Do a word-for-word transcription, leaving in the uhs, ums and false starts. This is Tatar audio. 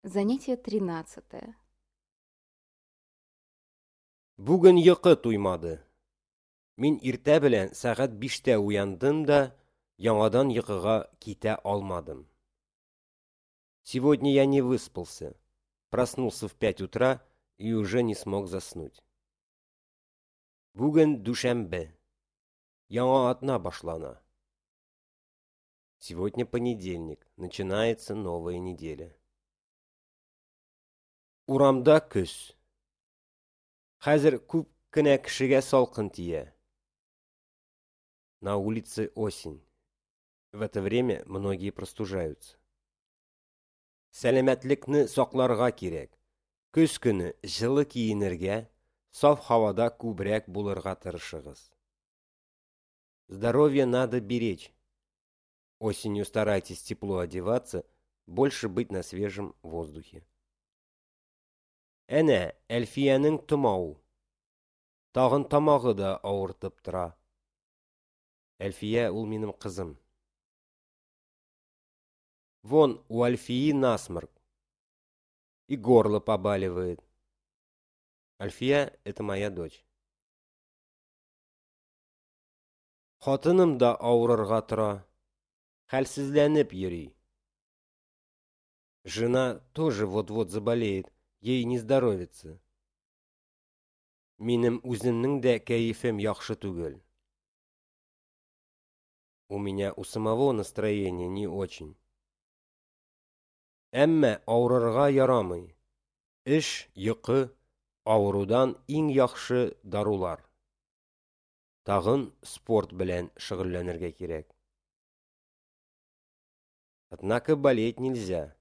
Занятие тринадцатое. Бүген йокы туймады. Мин иртә белән сәгать биштә уяндым да яңадан йокыга китә алмадым. Сегодня я не выспался. Проснулся в пять утра и уже не смог заснуть. Бүген дүшәмбе. Яңа атна башлана. Сегодня понедельник. Начинается новая неделя. Урамда көз. Хәзер күп кенә кешегә салкын тия. На улице осень. В это время многие простужаются. Сәламәтлекне сакларга кирәк. Көз көне җылы киенергә, саф һавада күбрәк булырга тырышыгыз. Здоровье надо беречь. Осенью старайтесь тепло одеваться, больше быть на свежем воздухе. Әнә, Әлфиянең томау. Тагын тамагы да авыртып тора. Әлфия ул минем кызым. Вон у Альфии насморк. И горло побаливает. Альфия – это моя дочь. Хатыным да авырырга тора. Хәлсезләнеп йөри. Жена тоже вот-вот заболеет, ей не здоровится. Минем үземнең дә кәефем яхшы түгел. У меня у самого настроение не очень. Әмма авырырга ярамый. Эш, йокы, авырудан иң яхшы дарулар. Тагын спорт белән шөгыльләнергә кирәк. Однако болеть нельзя.